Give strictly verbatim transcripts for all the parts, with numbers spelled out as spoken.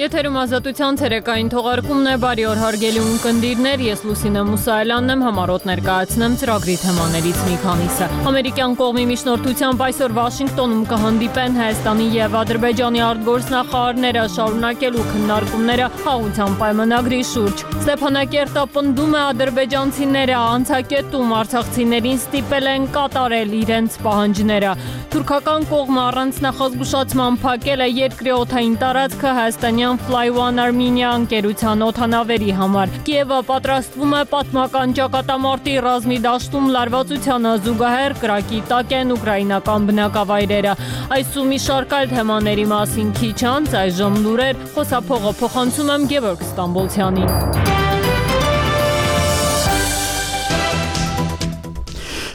Եթերում ազատության ցերեկային թողարկումն է, բարի օր հարգելի ունկնդիրներ, ես Լուսինե Մուսայելյանն եմ, համառոտ ներկայացնեմ ծրագրի թեմաներից մի քանիսը։ Ամերիկյան կողմի միջնորդությամբ այսօր Վաշինգտոնում կհանդիպեն Հայաստանի եւ Ադրբեջանի արտգործնախարարները, շարունակելու քննարկումները խաղաղության պայմանագրի շուրջ։ Ստեփանակերտը պնդում է ադրբեջանցիները անցակետում արցախցիներին ստիպել են կատարել իրենց պահանջները։ Թուրքական կողմը առանց նախազգուշացման փակել է երկրի օդային տարածքը հայաստանյան Fly One Armenia ընկերության օդանավերի համար։ Կիևը պատրաստվում է պատմական ճակատամարտի ռազմի դաշտում լարվածությանը զուգահեռ կրակի տակ են ուկրաինական բնակավայրերը։ Այս ու մի շարք այլ թեմաների մասին քիչ անց այժմ լուրեր, խոսափողը փոխանցում եմ Գևորգ Ստամբոլցյանին։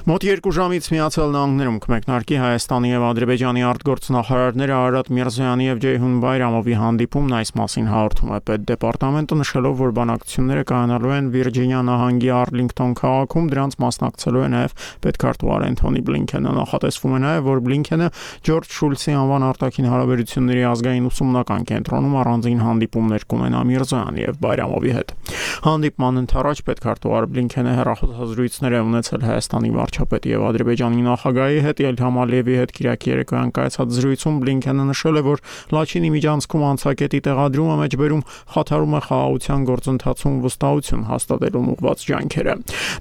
Մոտ երկու ժամից Միացյալ Նահանգներում կմեկնարկի Հայաստանի եւ Ադրբեջանի արտգործնախարարները Արարատ Միրզոյանի եւ Ջեյհուն Բայրամովի հանդիպումն այս մասին հաղորդում է Պետդեպարտամենտը, նշելով, որ բանակցությունները կայանալու են Վիրջինիա նահանգի Արլինգտոն քաղաքում, դրանց մասնակցելու է նաեւ պետքարտուղար Էնթոնի Բլինքենը։ Նախատեսվում է նաեւ, որ Բլինքենը Ջորջ Շուլցի անվան արտաքին հարաբերությունների ազգային ուսումնական կենտրոնում առանձին հանդիպումներ կունենա Միրզոյանի եւ Բայրամովի հետ։ Հանդիպման ընթരാճ պետքարտուղար Բլինքենը հեռախոսազրույցներ է ունեցել Հայաստանի վարչապետի եւ Ադրբեջանի նախագահի հետ, Իլհամ Ալիևի հետ Կիրակի երեկոյան կայացած զրույցում Բլինքենը նշել է, որ Լաչինի միջանցքում անցակետի տեղադրումը մեջբերում խաթարում է խաղաղության գործընթացում վստահություն հաստատելուն ուղղված ջանքերը։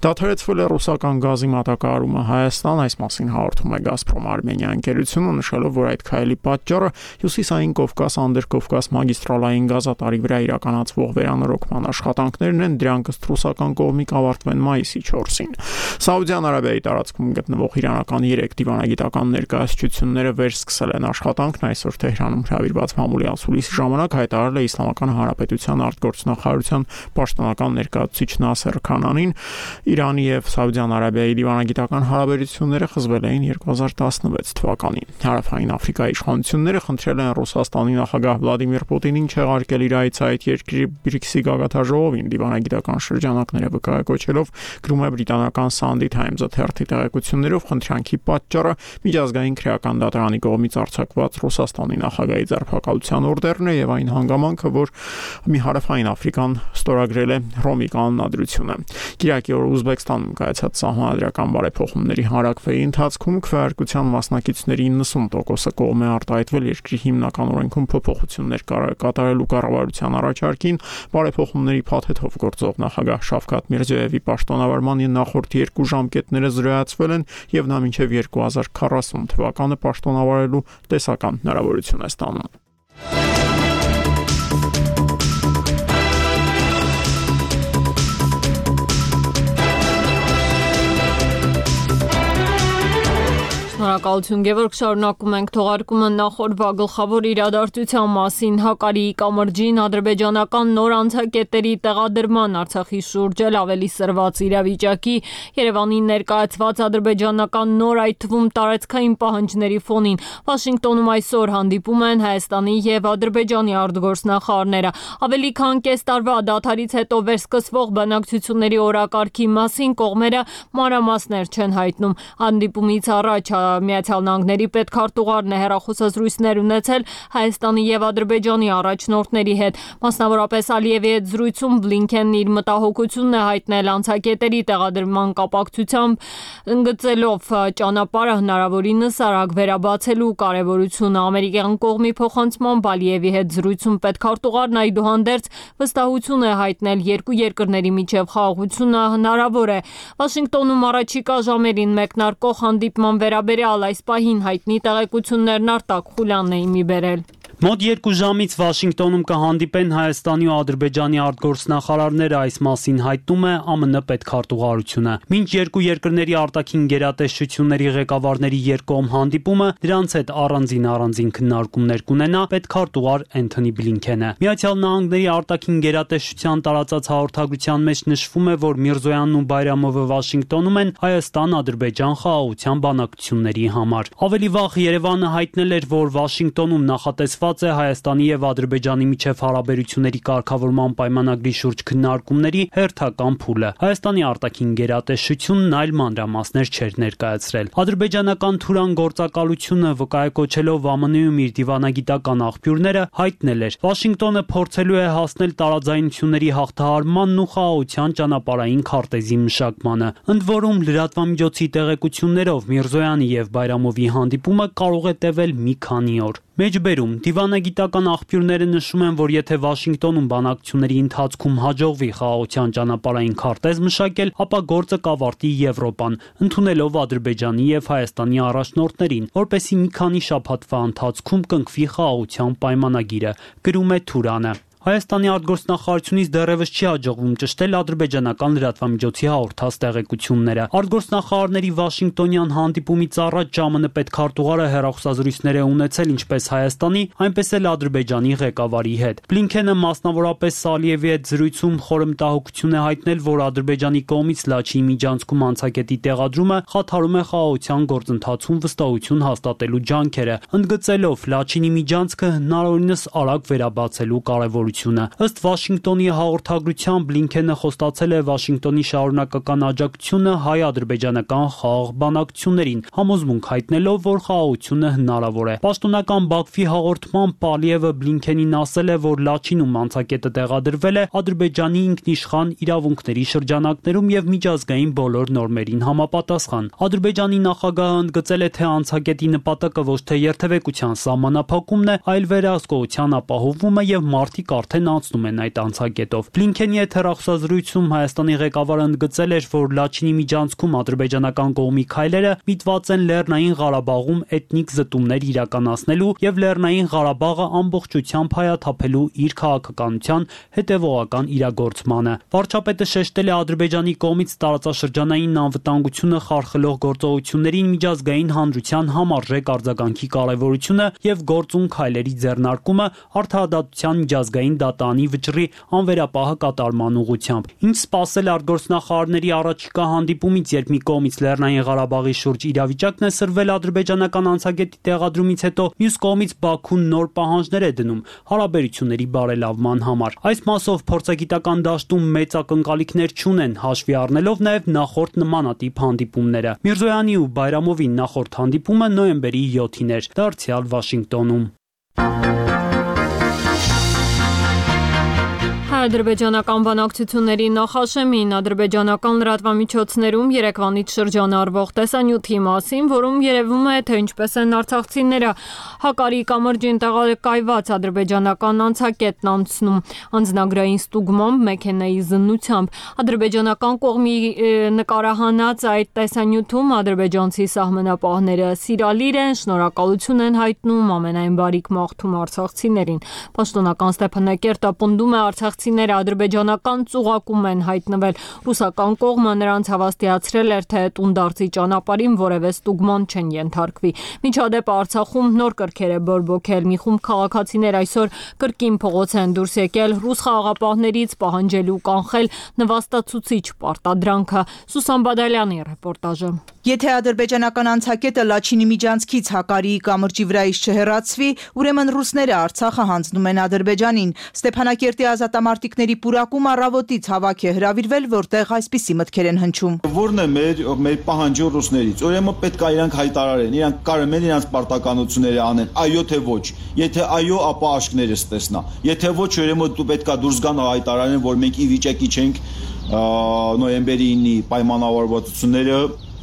Դադարեցվել է ռուսական գազի մատակարարումը Հայաստան, այս մասին հաղորդում է Գազպրոմ Արմենիա ընկերությունը, նշելով, որ այդ քայլի պատճառը Հյուսիսային Կովկաս-Անդրկովկաս մագիստրալային գազատարի վրա իրականացվող վերանորոգման աշխատանքներն են, դրանք ըստ ռուսական կողմի կավարտվեն մայիսի չորսին։ Սաուդյան Արաբիայի տարածքում գտնվող իրանական երեք դիվանագիտական ներկայացությունները վերսկսել են աշխատանքն, այսօր Թեհրանում հրավիրված մամուլի ասուլիսի ժամանակ հայտարարել է Իսլամական Հանրապետության արտգործնախարարության պաշտոնական ներկայացուցիչ Նասեր Քանանին։ Իրանի եւ Սաուդյան Արաբիայի դիվանագիտական հարաբերությունները խզվել էին երկու հազար տասնվեց թվականին։ Հարավային Աֆրիկայի իշխանությունները խնդրել են Ռուսաստանի նախագահ Վլադիմիր Պուտինին չեղարկել իր այցը այդ երկրի բրիքսի գագաթաժողովին, դիվանագիտական շրջանակները վկայակոչելով, գրում է բրիտանական Sunday Times-ը թերթի տեղեկություններով, խնդրանքի պատճառը միջազգային քրեական դատարանի կողմից արձակված Ռուսաստանի նախագահի ձերբակալության օրդերն է եւ այն հանգամանքը, որ մի հարավային Աֆրիկան ստորագրել է Ռոմի կանոնադրությունը։ Կիրակի օրը Ուզբեկստանում կայացած սահմանադրական բարեփոխումների հարակվեի ընթացքում քվեարկության մասնակիցների իննսուն տոկոսը կողմ է արտահայտվել երկրի հիմնական օրենքում փոփոխություններ կատարելու կառավարության առաջարկին։ Բարեփոխումների փաթեթով գործող նախագահ Շավքաթ Միրզոյևի պաշտոնավարման նախորդ երկու ժամկետները զրոյացվել են եւ նա մինչեւ երկու հազար քառասուն թվականը պաշտոնավարելու տեսական հնարավորություն է ստանում։ Շնորհակալություն Գևորգ, շարունակում ենք թողարկումը նախորդ գլխավոր իրադարձության մասին։ Հակարիի կամրջին ադրբեջանական նոր անցակետերի տեղադրման Արցախի շուրջ էլ ավելի սրված իրավիճակի Երևանին ներկայացված ադրբեջանական նոր, այդ թվում տարածքային պահանջների ֆոնին Վաշինգտոնում այսօր հանդիպում են Հայաստանի եւ Ադրբեջանի արտգործնախարարները։ Ավելի քան կես տարվա դադարից հետո վերսկսվող բանակցությունների օրակարգի մասին կողմերը մանրամասներ չեն հայտնում։ Հանդիպումից առաջ Միացյալ Նահանգների պետքարտուղարն է հեռախոսազրույցներ ունեցել Հայաստանի եւ Ադրբեջանի առաջնորդների հետ։ Մասնավորապես Ալիևի հետ զրույցում Բլինքենն իր մտահոգությունն է հայտնել անցակետերի տեղադրման կապակցությամբ, ընդգծելով ճանապարհը հնարավորինս արագ վերաբացելու կարևորությունը։ Ամերիկյան կողմի փոխանցմամբ Ալիևի հետ զրույցում պետքարտուղարն այդուհանդերձ վստահություն է հայտնել երկու երկրների միջև խաղաղությունը հնարավոր է։ Վաշինգտոնում առաջիկա ժամերին մեկնարկող հանդիպման վերաբերյալ այս պահին հայտնի տեղեկություններն Արտակ Խուլյանն է իմի բերել։ Մոտ երկու ժամից Վաշինգտոնում կհանդիպեն Հայաստանի ու Ադրբեջանի արտգործնախարարները, այս մասին հայտնում է ԱՄՆ պետքարտուղարությունը։ Մինչ երկու երկրների արտաքին գերատեսչությունների ղեկավարների երկկողմ հանդիպումը, դրանց հետ առանձին առանձին քննարկումներ կունենա պետքարտուղար Էնթոնի Բլինքենը։ Միացյալ Նահանգների արտաքին գերատեսչության տարածած հաղորդագրության մեջ նշվում է, որ Միրզոյանն ու Բայրամովը Վաշինգտոնում են Հայաստան-Ադրբեջան խաղաղության բանակցությունների համար։ Ավելի վաղ Երևանը հայտնել էր, որ Վաշինգտոնում նախատեսված նվիրված է Հայաստանի եւ Ադրբեջանի միջև հարաբերությունների կարգավորման պայմանագրի շուրջ քննարկումների հերթական փուլը։ Հայաստանի արտաքին գերատեսչությունն այլ մանրամասներ չէր ներկայացրել։ Ադրբեջանական Թուրան գործակալությունը վկայակոչելով ԱՄՆ-ում իր դիվանագիտական աղբյուրները հայտնել էր. Վաշինգտոնը փորձելու է հասնել տարաձայնությունների հաղթահարմանն ու խաղաղության ճանապարհային քարտեզի մշակմանը։ Ընդ որում լրատվամիջոցի տեղեկություններով Միրզոյանի եւ Բայրամովի հանդիպումը կարող է տևել մի քանի օր։ Մեջբերում դիվանագիտական աղբյուրները նշում են, որ եթե Վաշինգտոնում բանակցությունների ընթացքում հաջողվի խաղաղության ճանապարհային քարտեզ մշակել, ապա գործը կավարտի Եվրոպան, ընդունելով Ադրբեջանի եւ Հայաստանի առաջնորդներին, որպեսզի մի քանի շաբաթվա ընթացքում կնքվի խաղաղության պայմանագիրը, գրում է Թուրանը։ Հայաստանի արտգործնախարարությունից դեռևս չի հաջողվում ճշտել ադրբեջանական լրատվամիջոցի հաղորդած տեղեկությունները։ Արտգործնախարարների Վաշինգտոնյան հանդիպումից առաջ ԺԱՄՆ պետքարտուղարը հեռախոսազրույցներ է ունեցել ինչպես Հայաստանի, այնպես էլ Ադրբեջանի ղեկավարի հետ։ Բլինքենը մասնավորապես Սալիևի հետ զրույցում խորհրդահոգություն է հայտնել, որ Ադրբեջանի կողմից Լաչինի միջանցքում անցակետի տեղադրումը խաթարում է խաղաղության գործընթացում վստահություն հաստատելու ջանքերը, ընդգծելով Լաչինի միջանցքը հնարավորինս արագ վերաբացելու կարևորությունը։ Ըստ Վաշինգտոնի հաղորդագրության Բլինքենը խոստացել է Վաշինգտոնի շարունակական աջակցությունը հայ-ադրբեջանական խաղաղ բանակցություններին, համոզմունք հայտնելով, որ խաղաղությունը հնարավոր է։ Պաշտոնական Բաքվի հաղորդման Պալիևը Բլինքենին ասել է, որ Լաչինում անցակետը տեղադրվել է Ադրբեջանի ինքնիշխան իրավունքների շրջանակներում եւ միջազգային բոլոր նորմերին համապատասխան։ Ադրբեջանի նախագահը ընդգծել է, թե անցակետի նպատակը ոչ թե երթևեկության սահմանափակումն է, այլ վերահսկողության ապահովումը եւ մարդիկ արդեն անցնում են այդ անցակետով։ Բլինքենի հետ հեռախոսազրույցում Հայաստանի ղեկավարը ընդգծել էր, որ Լաչինի միջանցքում ադրբեջանական կողմի քայլերը միտված են Լեռնային Ղարաբաղում էթնիկ զտումներ իրականացնելու եւ Լեռնային Ղարաբաղը ամբողջությամբ հայաթափելու իր քաղաքականության հետեւողական իրագործմանը։ Վարչապետը շեշտել է Ադրբեջանի կողմից տարածաշրջանային անվտանգությունը խարխլող գործողություններին միջազգային հանրության համարժեք արձագանքի կարևորությունը եւ գործուն քայլերի ձեռնարկումը արդարադատության միջազգային դատարանի վճռի անվերապահ կատարման ուղղությամբ։ Ինչ սպասել արտգործնախարարների առաջիկա հանդիպումից, երբ մի կողմից Լեռնային Ղարաբաղի շուրջ իրավիճակն է սրվել ադրբեջանական անցակետի տեղադրումից հետո, մյուս կողմից Բաքուն նոր պահանջներ է դնում հարաբերությունների բարելավման համար։ Այս մասով փորձագիտական դաշտում մեծ ակնկալիքներ չունեն, հաշվի առնելով նաև նախորդ նմանատիպ հանդիպումները։ Միրզոյանի ու Բայրամովի նախորդ հանդիպումը նոյեմբերի յոթին էր, դարձյալ Վաշինգտոնում։ Ադրբեջանական բանակցությունների նախաշեմին ադրբեջանական լրատվամիջոցներում երեկվանից շրջանառվող տեսանյութի մասին, որում երևում է, թե ինչպես են արցախցիները Հակարի կամրջին տեղակայված ադրբեջանական անցակետն անցնում անձնագրային ստուգմամբ մեքենայի զննությամբ։ Ադրբեջանական կողմի նկարահանած այդ տեսանյութում ադրբեջանցի սահմանապահները սիրալիր են, շնորհակալություն են հայտնում, ամենայն բարիք մաղթում արցախցիներին։ Պաշտոնական Ստեփանակերտը պնդում է արցախցի ադրբեջանական ծուղակում են հայտնվել։ Ռուսական կողմը նրանց հավաստիացրել էր, թե տունդարձի ճանապարհին որևէ ստուգման չեն ենթարկվի։ Միջադեպը Արցախում նոր կրքեր է բորբոքել։ Մի խումբ քաղաքացիներ այսօր կրկին փողոց են դուրս եկել ռուս խաղաղապահներից պահանջելու կանխել նվաստացուցիչ պարտադրանքը։ Սուսան Բադալյանի ռեպորտաժը։ Եթե ադրբեջանական անցակետը Լաչինի միջանցքից Հակարիի կամրջի վրայից չհեռացվի, ուրեմն ռուսները Արցախը հանձնում են Ադրբեջանին։ Ստեփանակերտի ազատամարտիկների պուրակում առավոտից հավաք է հրավիրվել, որտեղ այսպիսի մտքեր են հնչում։ Որն է մեր մեր պահանջը ռուսներից։ Ուրեմն պետք է իրանք հայտարարեն, իրանք կարող են իրանք պարտականությունները անեն, այո թե ոչ։ Եթե այո, ապա աշկներս տեսնա։ Եթե ոչ, ուրեմն դու պետք է դուրս գան հայտարարեն, որ մենք ի վիճակի չենք նոյեմբերի ինի պայմանավորվածությունները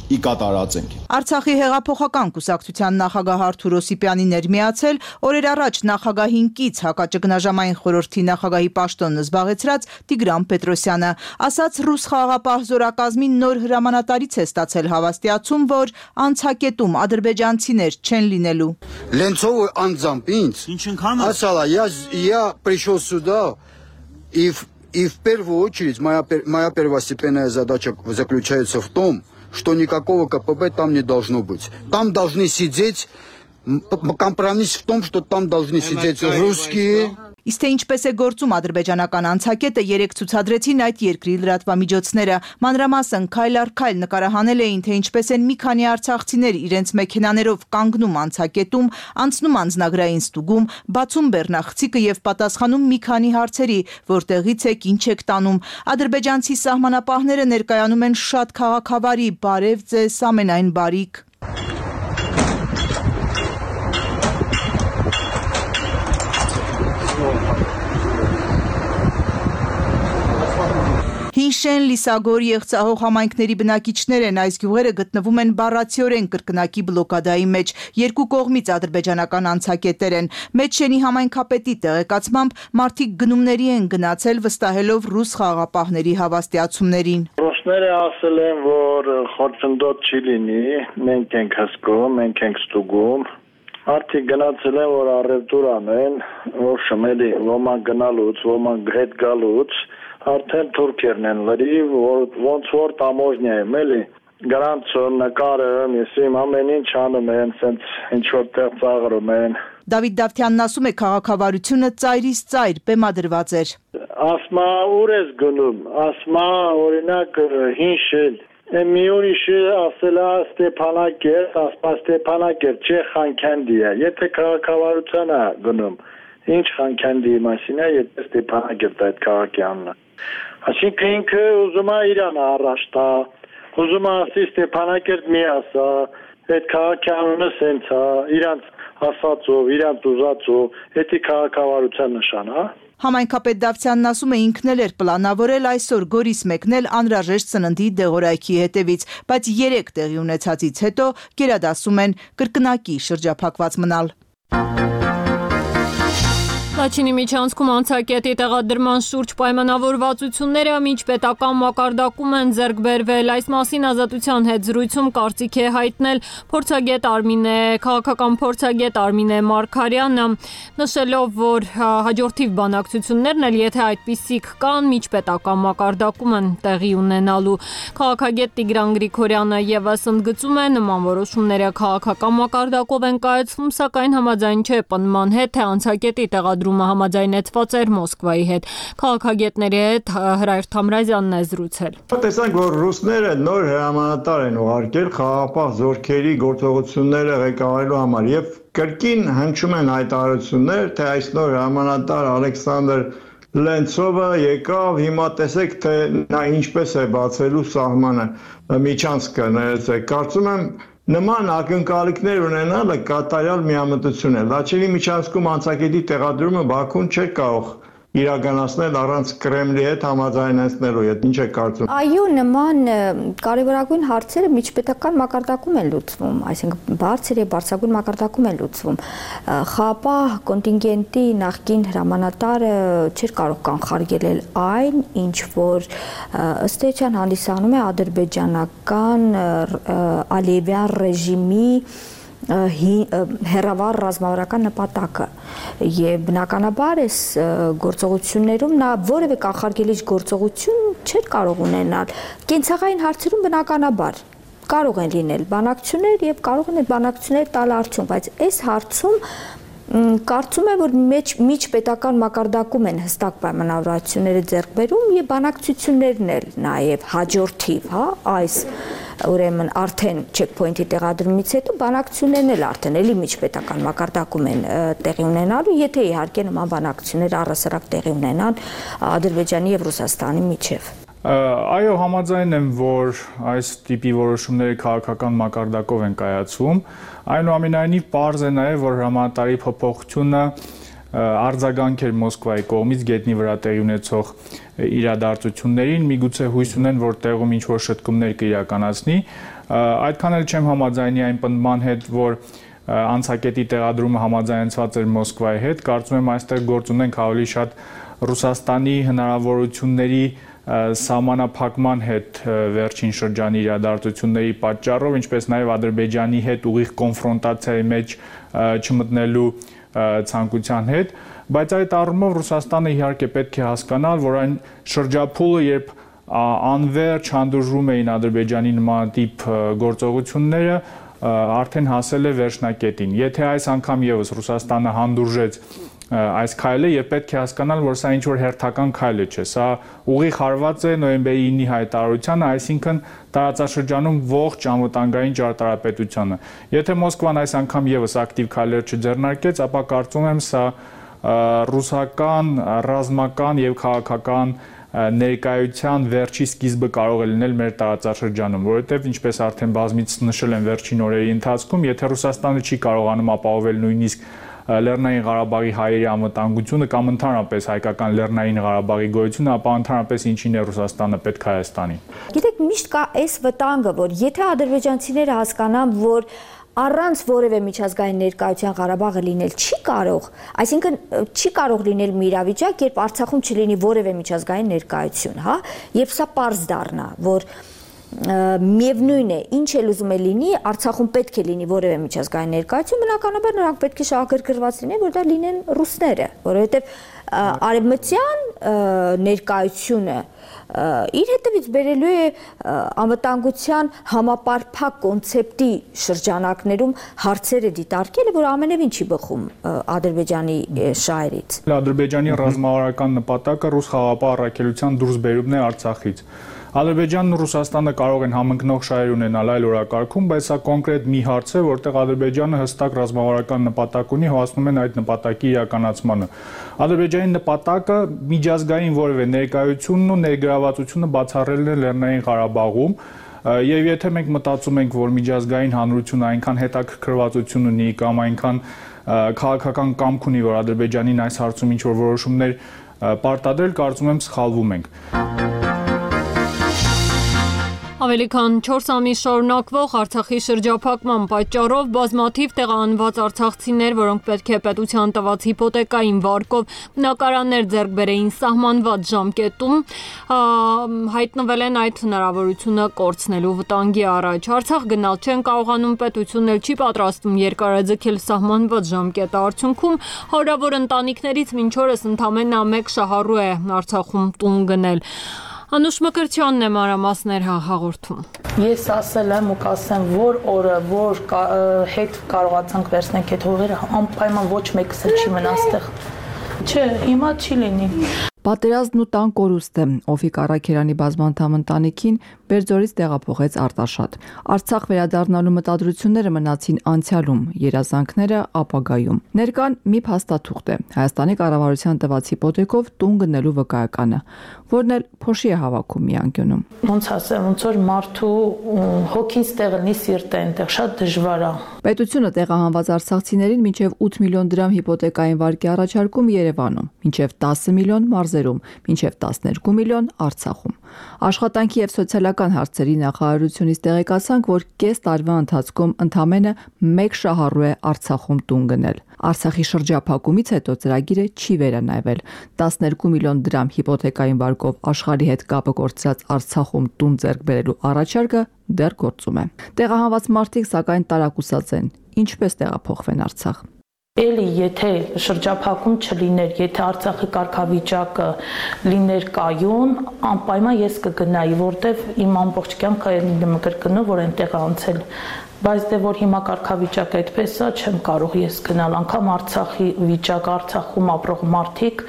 ի կատարածենք։ Արցախի հեղափոխական կուսակցության նախագահ Արթուր Օսիպյանին էր միացել օրեր առաջ նախագահին կից հակաճգնաժամային խորհրդի նախագահի պաշտոնը զբաղեցրած Տիգրան Պետրոսյանը, ասաց ռուս խաղաղապահ զորակազմին նոր հրամանատարից է ստացել հավաստիացում, որ անցակետում ադրբեջանցիներ չեն լինելու։ Ленцову անձամբ ինձ ասала, я я пришел сюда и и в первую очередь моя моя первостепенная задача заключается в том, что никакого КПП там не должно быть. Там должны сидеть, компромисс в том, что там должны сидеть русские, Իսկ թե ինչպես է գործում ադրբեջանական անցակետը, երեք ցուցադրեցին այդ երկրի լրատվամիջոցները։ Մանրամասն քայլ առ քայլ նկարահանել էին, թե ինչպես են մի քանի արցախցիներ իրենց մեքենաներով կանգնում անցակետում, անցնում անձնագրային ստուգում, բացում բեռնախցիկը եւ պատասխանում մի քանի հարցերի, որտեղից եք, ինչ եք տանում։ Ադրբեջանցի սահմանապահները ներկայանում են շատ քաղաքավարի, բարև ձեզ, ամենայն բարիք։ Հինշեն, Լիսագոր, Եղցահող համայնքների բնակիչներ են, այս գյուղերը գտնվում են բառացիորեն կրկնակի բլոկադայի մեջ, երկու կողմից ադրբեջանական անցակետեր են։ Մեջշենի համայնքապետի տեղեկացմամբ մարդիկ գնումների են գնացել վստահելով ռուս խաղաղապահների հավաստիացումներին։ Ռուսները ասել են, որ խորցնդոտ չի լինի, մենք ենք հսկում, մենք ենք ստուգում։ Արդի գնացել են, որ առևտուր անեն, որ շմելի, ոմանք գնալուց, ոմանք հետ գալուց, արդեն թուրքերն են լրիվ, ոնց որ տամոժնյա եմ, էլի, գրանցում, նկարում, ես իմ ամեն ինչ անում են, սենց ինչ-որ տեղ ծաղրում են։ Դավիթ Դավթյանն ասում է, քաղաքավարությունը ծայրից ծայր բեմադրված էր։ Ասմա ուր ես գնում, ասմա օրինակ հինշել, մի ուրիշը ասել է Ստեփանակերտ, ասպա Ստեփանակերտ, չէ Խանքանդի է, եթե քաղաքավարության է գնում, ինչ Խանքանդի մասին է, եթե Ստեփանակերտ այդ քաղաքի անունը։ Այսինքն ինքը ուզում է Իրան առաջ տա, ուզում է ասի Ստեփանակերտ մի ասա, այդ քաղաքի անունը սենց է, իրանց ասածով, իրանց ուզածով, դա քաղաքավարության նշան է։ Համայնքապետ Դավթյանն ասում է, ինքն էլ էր պլանավորել այսօր Գորիս մեկնել անհրաժեշտ սննդի դեղորայքի հետևից, բայց երեք տեղի ունեցածից հետո գերադասում են կրկնակի շրջափակված մնալ։ Լաչինի միջանցքում անցակետի տեղադրման շուրջ պայմանավորվածությունները միջպետական մակարդակում են ձեռք բերվել։ Այս մասին Ազատության հետ զրույցում կարծիք է հայտնել փորձագետ Արմինե, քաղաքական փորձագետ Արմինե Մարգարյանը, նշելով, որ հաջորդիվ բանակցություններն էլ եթե այդպիսիք կան, միջպետական մակարդակում են տեղի ունենալու։ Քաղաքագետ Տիգրան Գրիգորյանը եւս ընդգծում է, նման որոշումները քաղաքական մակարդակով են կայացվում, սակայն համաձայն չէ պնդման հետ, թե անցակետի տեղադրումը համաձայնեցված էր Մոսկվայի հետ։ Քաղաքագետների հետ Հրայր Թամրազյանն է զրուցել։ Տեսանք, որ ռուսները նոր հրամանատար են ուղարկել խաղաղապահ զորքերի գործողությունները ղեկավարելու համար եւ կրկին հնչում են հայտարարություններ, թե այս նոր հրամանատար Ալեքսանդր Լենցովը եկավ, հիմա տեսեք, թե նա ինչպես է բացելու սահմանը, միջանցքը ներեցեք։ Կարծում եմ նման ակնկալիքներ ունենալը կատարյալ միամտություն է։ Լաչինի միջանցքում անցակետի տեղադրումը Բաքուն չէր կարող իրականացնել առանց Կրեմլի հետ համաձայնեցնելու, ինչ է կարծում։ Այո, նման կարևորագույն հարցերը միջպետական մակարդակում են լուծվում, այսինքն բարձր եւ բարձրագույն մակարդակում են լուծվում։ Խաղաղապահ կոնտինգենտի նախկին հրամանատարը չէր կարող կանխարգելել այն, ինչ որ ըստ էության հանդիսանում է ադրբեջանական Ալիևյան ռեժիմի հերավար ռազմավարական նպատակը եւ բնականաբար այս գործողություններում նա որևէ կանխարգելիչ գործողություն չէր կարող ունենալ կենցաղային հարցերում բնականաբար կարող են լինել բանակցություններ եւ կարող են այդ բանակցությունները տալ արդյունք, բայց այս հարցում կարծում եմ, որ մեջ միջպետական մակարդակում են հստակ պայմանավորվածությունները ձեռք բերում եւ բանակցություններն էլ նաեւ հաջորդիվ, հա, այս ուրեմն արդեն checkpoint-ի տեղադրումից հետո բանակցություններն էլ արդեն էլի միջպետական մակարդակում են տեղի ունենալու, եթե իհարկե նման բանակցություններ առհասարակ տեղի ունենան Ադրբեջանի եւ Ռուսաստանի միջեւ։ Այո, համաձայն եմ, որ այս տիպի որոշումները քաղաքական մակարդակով են կայացվում, այնուամենայնիվ պարզ է նաև, որ հրամանատարի փոփոխությունը արձագանք էր Մոսկվայի կողմից գետնի վրա տեղի ունեցող իրադարձություններին, միգուցե հույս ունեն, որ տեղում ինչ-որ շտկումներ կիրականացնի, այդքան էլ չեմ համաձայնի այն պնդման հետ, որ անցակետի տեղադրումը համաձայնեցված էր Մոսկվայի հետ, կարծում եմ այստեղ գործ ունենք ավելի շատ Ռուսաստանի հնարավորությունների սահմանափակման հետ վերջին շրջանի իրադարձությունների պատճառով, ինչպես նաև Ադրբեջանի հետ ուղիղ կոնֆրոնտացիայի մեջ չմտնելու ցանկության հետ, բայց այդ առումով Ռուսաստանը իհարկե պետք է հասկանալ, որ այն շրջափուլը, երբ անվերջ հանդուրժում էին Ադրբեջանի նմանատիպ գործողությունները, արդեն հասել է վերջնակետին։ Եթե այս անգամ եւս Ռուսաստանը հանդուրժեց այս քայլը եւ պետք է հասկանալ, որ սա ինչ որ հերթական քայլ չէ, սա ուղիղ հարված է նոյեմբերի ինի հայտարարությանը, այսինքն տարածաշրջանում ողջ անվտանգային ճարտարապետությանը։ Եթե Մոսկվան այս անգամ եւս ակտիվ քայլեր չձեռնարկեց, ապա կարծում եմ սա ռուսական, ռազմական եւ քաղաքական ներկայության վերջի սկիզբը կարող է լինել մեր տարածաշրջանում, որովհետև ինչպես արդեն բազմից նշել են վերջին օրերի ընթացքում, եթե Ռուսաստանը չի կարողանում ապահովել նույնիսկ Լեռնային Ղարաբաղի հայերի անվտանգությունը կամ ընդհանրապես հայկական Լեռնային Ղարաբաղի գոյությունը, ապա ընդհանրապես ինչին է Ռուսաստանը պետք Հայաստանին։ Գիտեք, միշտ կա այս վտանգը, որ եթե ադրբեջանցիները հասկանան, որ առանց որևէ միջազգային ներկայության Ղարաբաղը լինել չի կարող, այսինքն չի կարող լինել մի իրավիճակ, երբ Արցախում չլինի որևէ միջազգային ներկայություն, հա, երբ սա պարզ դառնա, որ միևնույն է, ինչ էլ ուզում է լինի, Արցախում պետք է լինի որևէ միջազգային ներկայություն, բնականաբար նրանք պետք է շահագրգռված լինեն, որ դա լինեն ռուսները, որովհետև արևմտյան ներկայությունը իր հետևից բերելու է անվտանգության համապարփակ կոնցեպտի շրջանակներում հարցերը դիտարկելը, որ ամենևին չի բխում Ադրբեջանի շահերից։ Ադրբեջանի ռազմավարական նպատակը ռուս խաղաղապահ առաքելության դուրս բերումն է Արցախից։ Ադրբեջանն ու Ռուսաստանը կարող են համընկնող շահեր ունենալ այլ օրակարգում, բայց սա կոնկրետ մի հարց է, որտեղ Ադրբեջանը հստակ ռազմավարական նպատակ ունի, հասնում են այդ նպատակի իրականացմանը։ Ադրբեջանի նպատակը միջազգային որևէ ներկայությունն ու ներգրավվածությունը բացառելն է Լեռնային Ղարաբաղում, եւ եթե մենք մտածում ենք, որ միջազգային հանրությունը այնքան հետաքրքրվածություն ունի կամ այնքան քաղաքական կամք ունի, որ Ադրբեջանին այս հարցում ինչ որ որոշումներ պարտադրել, կարծում եմ սխալվում ենք։ Ավելի քան չորս ամիս շարունակվող Արցախի շրջափակման պատճառով բազմաթիվ տեղահանված արցախցիներ, որոնք պետք է պետության տված հիպոթեկային վարկով բնակարաններ ձեռք բերեին սահմանված ժամկետում, հայտնվել են այդ հնարավորությունը կորցնելու վտանգի առաջ։ Արցախ գնալ չեն կարողանում, պետությունն էլ չի պատրաստվում երկարաձգել սահմանված ժամկետը, արդյունքում հարյուրավոր ընտանիքներից մինչ օրս ընդամենը մեկ շահառու է Արցախում տուն գնել։ Անուշ Մկրտչյանն է մանրամասներ հաղորդում։ Ես ասել եմ ու կասեմ, որ օրը, որ հետ կարողացանք վերցնենք այդ հողերը, անպայման ոչ մեկս չի մնա այստեղ։ Չէ, հիմա չի լինի։ Պատերազմն ու տան կորուստը Օֆիկ Առաքելյանի բազմանդամ ընտանիքին Բերձորից տեղափոխեց Արտաշատ։ Արցախ վերադառնալու մտադրությունները մնացին անցյալում, երազանքները ապագայում։ Ներկան մի փաստաթուղթ է Հայաստանի կառավարության տված հիպոթեկով տուն գնելու վկայականը, որն էլ փոշի է հավաքում մի անկյունում։ Ոնց ասեմ, ոնց որ մարդու հոգին ստեղ լինի, սիրտը այնտեղ շատ դժվար է։ Պետությունը տեղահանված արցախցիներին մինչև ութ միլիոն դրամ հիպոթեկային վարկի առաջարկում Երևանում, մինչև տասը միլիոն մարզերում, մինչև տասներկու միլիոն Արցախում։ Աշխատանքի եւ սոցիալական հարցերի նախարարությունից տեղեկացանք, որ կես տարվա ընթացքում ընդամենը մեկ շահառու է Արցախում տուն գնել։ Արցախի շրջափակումից հետո ծրագիրը չի վերանայվել։ տասներկու միլիոն դրամ հիպոթեկային վարկով աշխարհի հետ կապը կորցրած Արցախում տուն ձեռք բերելու առաջարկը դեռ գործում է։ Տեղահանված մարդիկ սակայն տարակուսած են, ինչպես տեղափոխվեն Արցախ։ Էլի եթե շրջափակում չլիներ, եթե Արցախի կարգավիճակը լիներ կայուն, անպայման ես կգնայի, որտեվ իմ ամբողջ կյանքը եմ կրկնում, որ այնտեղ անցել։ Բայց դե որ հիմա կարգավիճակը այդպես է, չեմ կարող ես գնալ, անգամ Արցախի վիճակ, Արցախում ապրող մարդիկ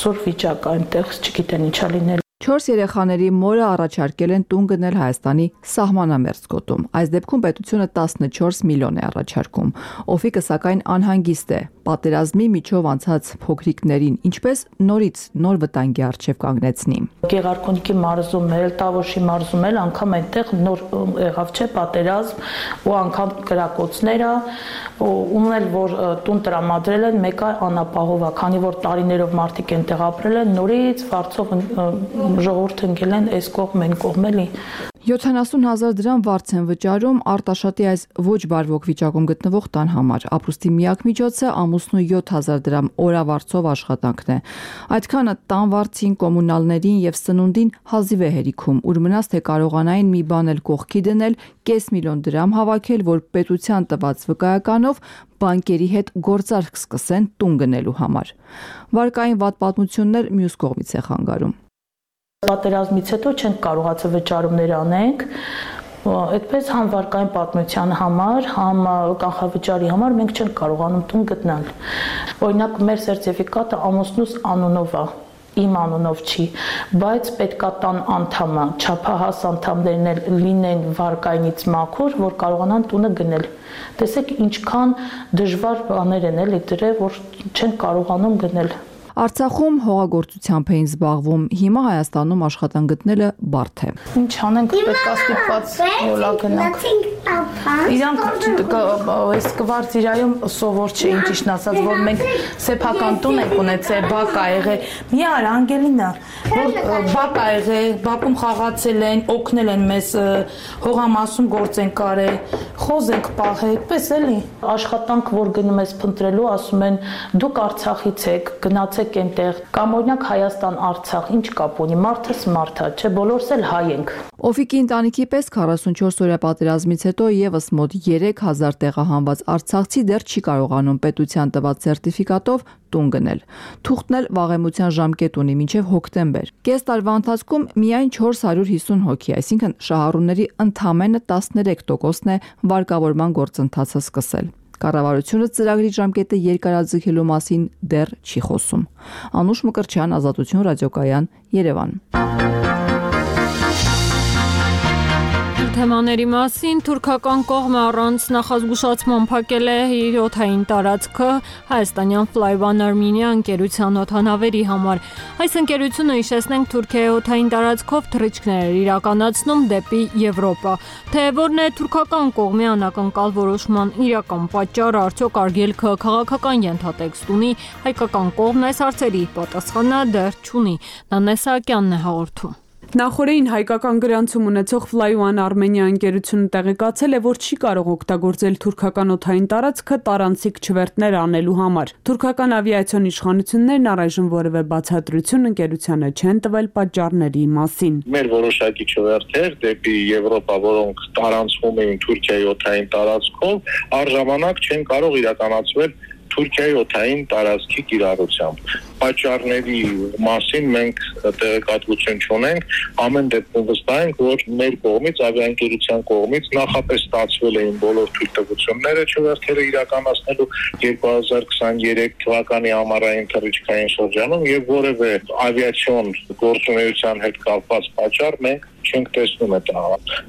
սուր վիճակ այնտեղ չգիտեն ինչա լինել։ Չորս երեխաների մորը առաջարկել են տուն գնել Հայաստանի սահմանամերձ գոտում։ Այս դեպքում պետությունը տասնչորս միլիոն է առաջարկում։ Օֆիկը սակայն անհանգիստ է պատերազմի միջով անցած փոքրիկներին, ինչպես նորից նոր վտանգի առջև կանգնեցնի։ Գեղարքունիքի մարզում էլ, Տավոշի մարզում էլ անգամ այնտեղ նոր եղավ չէ պատերազմ ու անգամ կրակոցները, ումն էլ որ տուն տրամադրել են, մեկը անապահով է, քանի որ տարիներով մարդիկ այնտեղ ապրել են, նորից վարձով ժողովուրդը ընկել են այս կողմ են կողմ էլի։ յոթանասուն հազար դրամ վարձ են վճարում Արտաշատի այս ոչ բարվոք վիճակում գտնվող տան համար։ Ապրուստի միակ միջոցը ամուսնու յոթ հազար դրամ օրավարձով աշխատանքն է։ Այդքանը տան վարձին, կոմունալներին եւ սնունդին հազիվ է հերիքում, ուր մնաց թե կարողանային մի բան էլ կողքի դնել, կես միլիոն դրամ հավաքել, որ պետության տված վկայականով բանկերի հետ գործարք սկսեն տուն գնելու համար։ Վարկային վատ պատմություններ մյուս կողմից է խանգարում։ Պատերազմից հետո չենք կարողացել վճարումներ անենք, Այդպես համ վարկային պատմության համար, համ կանխավճարի համար մենք չենք կարողանում տուն գտնել։ Օրինակ մեր սերտիֆիկատը ամուսնուս անունով է, իմ անունով չի, բայց պետքա տան անդամը, չափահաս անդամներն էլ լինեն վարկայինից մաքուր, որ կարողանան տունը գնել։ Տեսեք ինչքան դժվար բաներ են էլի դրել, որ չեն կարողանում գնել։ Արցախում հողագործությամբ էին զբաղվում, հիմա Հայաստանում աշխատանք գտնելը բարդ է։ Ինչ անենք, պետք է ստիպված յոլա գնանք։ Իրանք այս կվարտիրայում սովոր չէ, ինչիշն ասած, որ մենք սեփական տուն ենք ունեցել, բակ ա եղել։ Մի արա Անգելինա, որ բակ ա եղել, բակում խաղացել են, օգնել են մեզ, հողամասում գործ են կարել, խոզ ենք պահել, այդպես էլի։ Աշխատանք, որ գնում ես փնտրելու, ասում են դուք Արցախից եք, գնացեք այնտեղ, կամ օրինակ Հայաստան, Արցախ, ինչ կապ ունի, մարդս մարդ է, չէ, բոլորս էլ հայ ենք։ Օֆիկի ընտանիքի պես քառասունչորս օրյա պատերազմից հետո եւս մոտ երեք հազար տեղահանված արցախցի դեռ չի կարողանում պետության տված սերտիֆիկատով տուն գնել։ Թուղթն էլ վաղեմության ժամկետ ունի մինչև հոկտեմբեր։ Կես տարվա ընթացքում միայն չորս հարյուր հիսուն հոգի, այսինքն շահառուների ընդամենը տասներեք տոկոսն է վարկավորման գործընթացը սկսել։ Կառավարությունը ծրագրի ժամկետը երկարաձգելու մասին դեռ չի խոսում։ Անուշ Մկրտչյան, Ազատություն ռադիոկայան, Երևան։ Թեմաների մասին թուրքական կողմը առանց նախազգուշացման փակել է իր օդային տարածքը հայաստանյան Flyone Armenia ընկերության օդանավերի համար։ Այս ընկերությունը, հիշեցնենք, Թուրքիայի օդային տարածքով թռիչքներ էր իրականացնում դեպի Եվրոպա։ Թե որն է թուրքական կողմի անակնկալ որոշման իրական պատճառը, արդյոք արգելքը քաղաքական ենթատեքստ ունի, հայկական կողմն այս հարցերի պատասխանը դեռ չունի։ Նանե Սահակյանն է հաղորդում։ Նախորդին հայկական գրանցում ունեցող Flyone Armenia ընկերությունը տեղեկացել է, որ չի կարող օգտագործել թուրքական օդային տարածքը տարանցիկ չվերթներ անելու համար։ Թուրքական ավիացիոն իշխանություններն առայժմ որևէ բացատրություն ընկերությանը չեն տվել պատճառների մասին։ Մեր որոշակի չվերթեր դեպի Եվրոպա, որոնք տարանցվում էին Թուրքիայի օդային տարածքով, առժամանակ չեն կարող իրականացվել Թուրքիայի օդային տարածքի կիրառությամբ։ Պատճառների մասին մենք տեղեկատվություն չունենք, ամեն դեպքում վստահ ենք, որ մեր կողմից, ավիաընկերության կողմից նախապես ստացվել էին բոլոր թույլտվությունները չվերթերը իրականացնելու երկու հազար քսաներեք թվականի ամառային թռիչքային շրջանում եւ որևէ ավիացիոն գործունեության հետ կապված պատճառ մենք չենք տեսնում այդ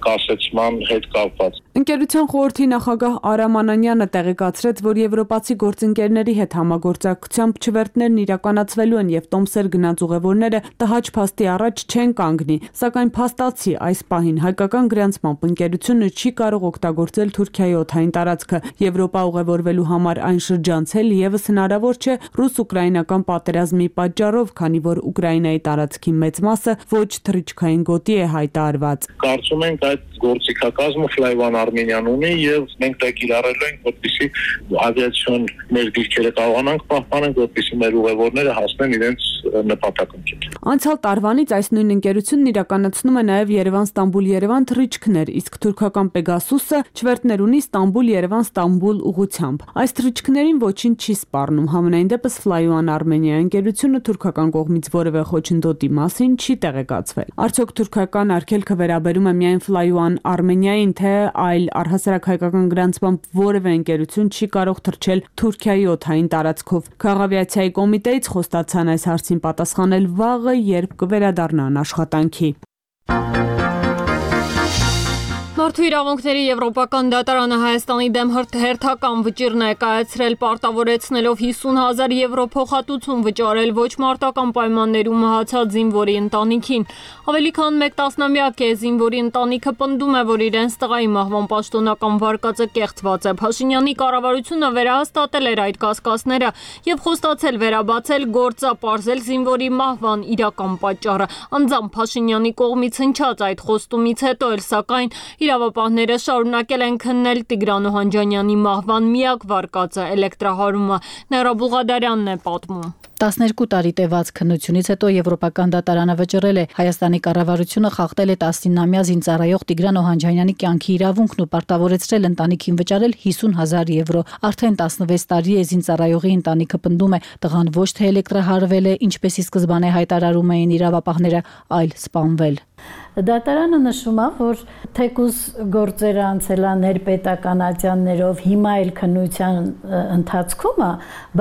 կասեցման հետ կապված։ Ընկերության խորհրդի նախագահ Արամ Անանյանը տեղեկացրեց, որ եվրոպացի գործընկերների հետ համագործակցությամբ չվերթներն իրականացվելու են եւ տոմսեր գնաց ուղևորները տհաճ փաստի առաջ չեն կանգնի, սակայն փաստացի այս պահին հայկական գրանցմամբ ընկերությունը չի կարող օգտագործել Թուրքիայի օդային տարածքը։ Եվրոպա ուղևորվելու համար այն շրջանցել եւս հնարավոր չէ ռուս-ուկրաինական պատերազմի պատճառով, քանի որ Ուկրաինայի տարածքի մեծ մասը ոչ թռիչքային գոտի է հայտարարված։ Կարծում ենք այդ գործիքակազմը Flyone Armenia-ն ունի եւ մենք դա կիրառելու ենք, որպեսզի ավիացիոն մեր դիրքերը կարողանանք պահպանել, որպեսզի մեր ուղևորները հասնեն իրենց նպատակին։ Անցյալ տարվանից այս նույն ընկերությունն իրականացնում է նաեւ Երևան-Ստամբուլ-Երևան թռիչքներ, իսկ թուրքական Pegasus-ը չվերթներ ունի Ստամբուլ-Երևան-Ստամբուլ ուղղությամբ։ Այս թռիչքներին ոչինչ չի սպառնում։ Համենայն դեպս Flyone Armenia ընկերությունը թուրքական կողմից որևէ խոչընդոտի մասին չի տեղեկացվել։ Արդյոք թուրքական արգելքը վերաբերում է միայն Flyone Armenia-ին, թե այլ առհասարակ հայկական գրանցմամբ որևէ ընկերություն չի կարող թռչել Թուրքիայի օդային տարածքով։ Քաղաքավիացիայի կոմիտեից խոստացան այս հարցին պատասխանել վաղը, երբ կվերադառնան աշխատանքի։ Մարդու իրավունքների Եվրոպական դատարանը Հայաստանի դեմ հերթական վճիռ ներկայացրել, պարտավորեցնելով հիսուն հազար եվրո փոխհատուցում վճարել ոչ մարտական պայմաններում մահացած զինվորի ընտանիքին։ Ավելի քան մեկ տասնամյակ է զինվորի ընտանիքը պնդում է, որ իրենց տղայի մահվան պաշտոնական վարկածը կեղծված է։ Փաշինյանի կառավարությունը վերահաստատել էր այդ կասկածները եւ խոստացել վերաբացել գործը, պարզել զինվորի մահվան իրական պատճառը։ Անձամբ Փաշինյանի կողմից հնչած այդ խոստումից հետո էլ սակայն իրավապահները շարունակել են քննել Տիգրան Օհանջանյանի մահվան միակ վարկածը էլեկտրահարումը։ Ներա Բուղադարյանն է պատմում։ տասներկու տարի տևած քննությունից հետո Եվրոպական դատարանը վճռել է Հայաստանի կառավարությունը խախտել է տասնինամյա զինծառայող Տիգրան Օհանջանյանի կյանքի իրավունքն ու պարտավորեցրել ընտանիքին վճարել հիսուն հազար եվրո։ Արդեն տասնվեց տարի է զինծառայողի ընտանիքը պնդում է, տղան ոչ թե էլեկտրահարվել է, ինչպես ի սկզբանե հայտարարում էին իրավապահները, այլ սպանվել։ Դատարանը նշում է, որ թեկուզ գործերը անցել են ներպետականացյաններով, հիմա էլ քննության ընթացքում է,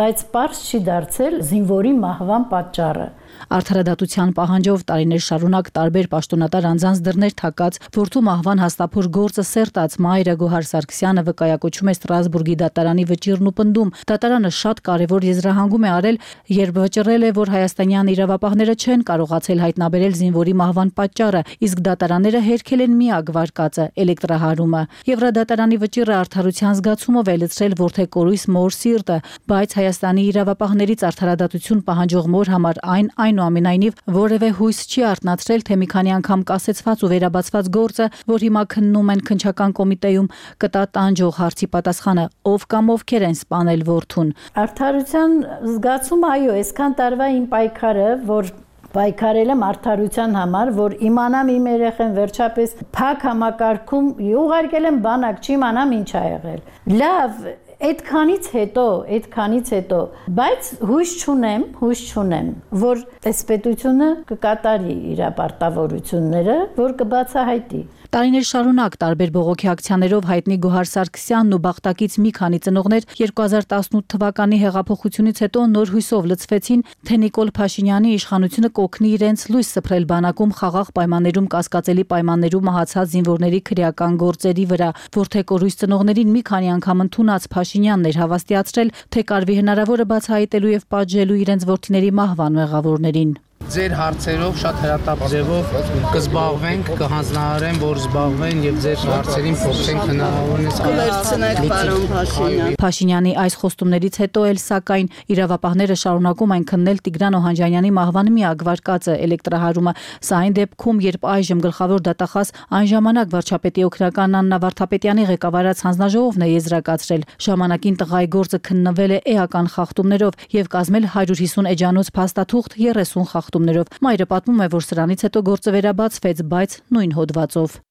բայց պարզ չի դարձել զինվորի մահվան պատճառը։ Արդարադատության պահանջով տարիներ շարունակ տարբեր պաշտոնատար անձանց դռներ թակած որդու մահվան հաստափոր գործը սերտած մայրը Գոհար Սարգսյանը վկայակոչում է Ստրասբուրգի դատարանի վճիռն ու պնդում։ Դատարանը շատ կարևոր եզրահանգում է արել, երբ վճռել է, որ հայաստանյան իրավապահները չեն կարողացել հայտնաբերել զինվորի մահվան պատճառը, իսկ դատարանները հերքել են միակ վարկածը՝ էլեկտրահարումը։ Եվրադատարանի վճիռը արդարության զգացումով է լցրել որդեկորույս մոր սիրտը, բայց Հայաստանի իրավապահներից արդարադատություն պահանջող մոր համար այն այնուամենայնիվ որևէ հույս չի արտնացրել, թե մի քանի անգամ կասեցված ու վերաբացված գործը, որ հիմա քննում են քննչական կոմիտեում, կտա տանջող հարցի պատասխանը, ով կամ ովքեր են սպանել որդուն։ Արդարության զգացումը, այո, այսքան տարվա իմ պայքարը, որ պայքարել եմ արդարության համար, որ իմանամ իմ երեխեն վերջապես փակ համակարգում ուղարկել եմ բանակ, չիմանամ ինչ ա եղել։ Լավ, այդքանից հետո, այդքանից հետո, բայց հույս չունեմ, հույս չունեմ, որ այս պետությունը կկատարի իր պարտավորությունները, որ կբացահայտի։ Տարիներ շարունակ տարբեր բողոքի ակցիաներով հայտնի Գոհար Սարգսյանն ու Բաղտակից մի քանի ծնողներ երկու հազար տասնութ թվականի հեղափոխությունից հետո նոր հույսով լցվեցին, թե Նիկոլ Փաշինյանի իշխանությունը կօգնի իրենց լույս սփռել բանակում խաղաղ պայմաններում կասկածելի պայմաններում մահացած զինվորների քրեական գործերի վրա։ Որդեկորույս ծնողներին մի քանի անգամ ընդունած Փաշինյանն էր հավաստիացրել, թե կարվի հնարավորը բացահայտելու եւ պատժելու իրենց որդիների մահվան մեղավորներին։ Ձեր հարցերով շատ հրատապ ձևով կզբաղվենք, կհանձնարարեմ, որ զբաղվեն եւ ձեր հարցերին փորձենք հնարավորինս վերցնեք պարոն Փաշինյան։ Փաշինյանի այս խոստումներից հետո էլ սակայն իրավապահները շարունակում են քննել Տիգրան Օհանջանյանի մահվան միակ վարկածը՝ էլեկտրահարումը։ Սա այն դեպքում, երբ այժմ գլխավոր դատախազ այն ժամանակ վարչապետի օգնական Աննա Վարդապետյանի ղեկավարած հանձնաժողովն է եզրակացրել։ Ժամանակին տղայի գործը քննվել է էական խախտումներով եւ կազմել հարյուր հիսուն էջանոց փաստաթուղթ երեսուն խախտումներով։ Մայրը պատմում է, որ սրանից հետո գործը վերաբացվեց, բայց նույն հոդվածով։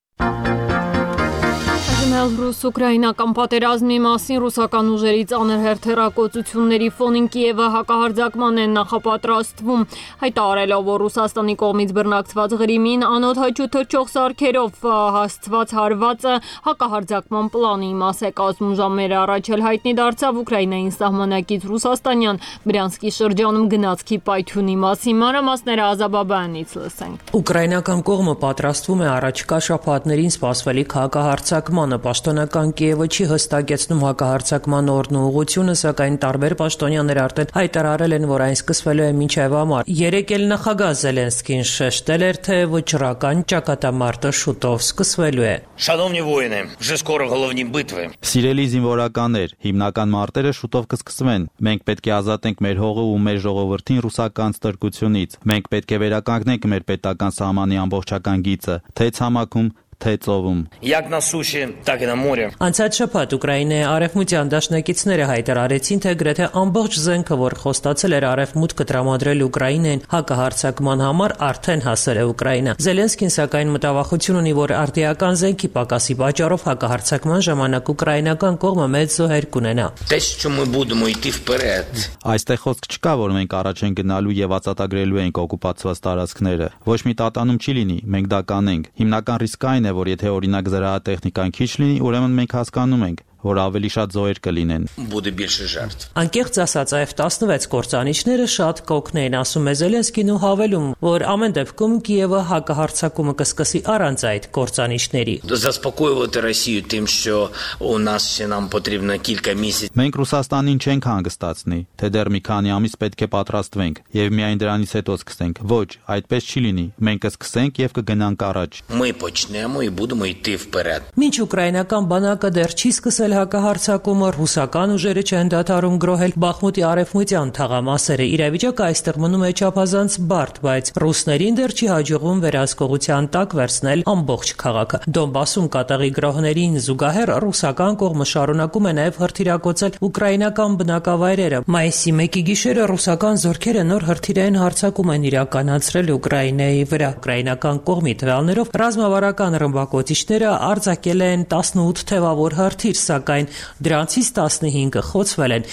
Ռուս-ուկրաինական պատերազմի մասին ռուսական ուժերի ծանր հերթերակոծությունների ֆոնին Կիևը հակահարձակման են նախապատրաստվում, հայտարարելով, որ Ռուսաստանի կողմից բռնակցված Ղրիմին անօդաչու թռչող սարքերով հասցված հարվածը հակահարձակման պլանի մաս է։ Կազմում ժամեր առաջ էլ հայտնի դարձավ Ուկրաինային սահմանակից ռուսաստանյան Բրյանսկի շրջանում գնացքի պայթյունի մասին։ Մանրամասները Ազաբաբյանից լսենք։ Ուկրաինական կողմը պատրաստվում է առաջիկա շաբաթներին սպասվելիք հակահարձակմանը։ Պաշտոնական Կիևը չի հստակեցնում հակահարձակման օրն ու ուղղությունը, սակայն տարբեր պաշտոնյաներ արդեն հայտարարել են, որ այն սկսվելու է մինչև ամառ։ Երեկ էլ նախագահ Զելենսկին շեշտել էր, թե վճռական ճակատամարտը շուտով սկսվելու է։ Шановні воїни, вже скоро головні битви։ Սիրելի զինվորականներ, հիմնական մարտերը շուտով կսկսվեն։ Մենք պետք է ազատենք մեր հողը ու մեր ժողովրդին ռուսական ստրկությունից։ Մենք պետք է վերականգնենք մեր պետական սահմանի ամբողջական գիծը, թե ցամաքում, թե ծովում։ Як на суші, так і на морі։ Անցած շաբաթ Ուկրաինայի արևմտյան դաշնակիցները հայտարարեցին, թե գրեթե ամբողջ զենքը, որ խոստացել էր արևմուտքը տրամադրել Ուկրաինային հակահարձակման համար, արդեն հասել է Ուկրաինա։ Զելենսկին սակայն մտավախություն ունի, որ արդիական զենքի պակասի պատճառով հակահարձակման ժամանակ ուկրաինական կողմը մեծ զոհեր կունենա։ Те, що ми будемо йти вперед։ Այստեղ խոսք չկա, որ մենք առաջ ենք գնալու եւ ածատագրելու ենք օկուպացված տարածքները։ Ոչ մի տատանում չի լինի, մենք դա կանենք։ Հիմնական ռիսկը այն է, որ եթե օրինակ զրահատեխնիկան քիչ լինի, ուրեմն մենք հասկանում ենք, որ ավելի շատ զոհեր կլինեն։ Буде більше жертв։ Անկեղծ ասած, F տասնվեց կործանիչները շատ կօգնեին, ասում է Զելենսկին ու հավելում, որ ամեն դեպքում Կիևը հակահարձակումը կսկսի առանց այդ կործանիչների։ Заспокоювати Росію тим, що у нас ще нам потрібно кілька місяців։ Մենք Ռուսաստանին չենք հանգստացնի, թե դեռ մի քանի ամիս պետք է պատրաստվենք եւ միայն դրանից հետո սկսենք։ Ոչ, այդպես չի լինի։ Մենք կսկսենք եւ կգնանք առաջ։ Ми почнемо і будемо йти вперед։ Մինչ ուկրաինական բանակը դեռ չի սկսել հակահարձակումը, ռուսական ուժերը չեն դադարում գրոհել Բախմուտի արևմտյան թաղամասերը։ Իրավիճակը այստեղ մնում է չափազանց բարդ, բայց ռուսներին դեռ չի հաջողվում վերահսկողության տակ վերցնել ամբողջ քաղաքը։ Դոնբասում կատաղի գրոհներին զուգահեռ ռուսական կողմը շարունակում է նաև հրթիռակոծել ուկրաինական բնակավայրերը։ Մայիսի մեկի գիշերը ռուսական զորքերը նոր հրթիռային հարձակում են իրականացրել Ուկրաինայի վրա։ Ուկրաինական կողմի տվյալներով ռազմավարական ռմբակոծիչները արձակել են տասնութ թևավոր հրթիռ, սակայն դրանցից տասնհինգը խոցվել են։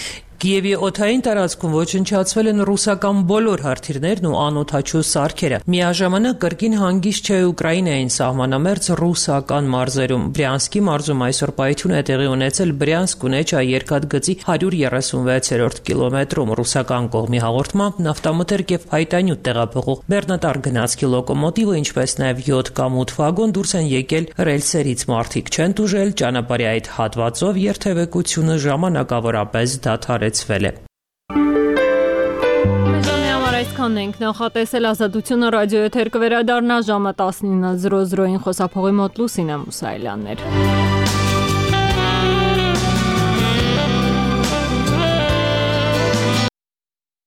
Կիևի օդային տարածքում ոչնչացվել են ռուսական բոլոր հրթիռներն ու անօդաչու սարքերը։ Միաժամանակ կրկին հանգիստ չէ Ուկրաինային սահմանամերձ ռուսական մարզերում։ Բրյանսկի մարզում այսօր պայթյուն է տեղի ունեցել Բրյանսկ-Ունեչա երկաթգծի հարյուր երեսունվեցերորդ կիլոմետրում։ Ռուսական կողմի հաղորդմամբ նավթամթերք եւ փայտանյութ տեղափոխող բեռնատար գնացքի լոկոմոտիվը, ինչպես նաեւ յոթ կամ ութ վագոն դուրս են եկել ռելսերից։ Մարդիկ չեն տուժել, ճանապարհի այդ հատվածով երթևեկությունը ժամանակավորապես դադարեցվել է։ Այսքանն ենք նախատեսել Ազատությունը ռադիոեթեր կվերադառնա ժամը տասնինը զրո զրոին խոսափողի մոտ Լուսինե Մուսայելյաններ։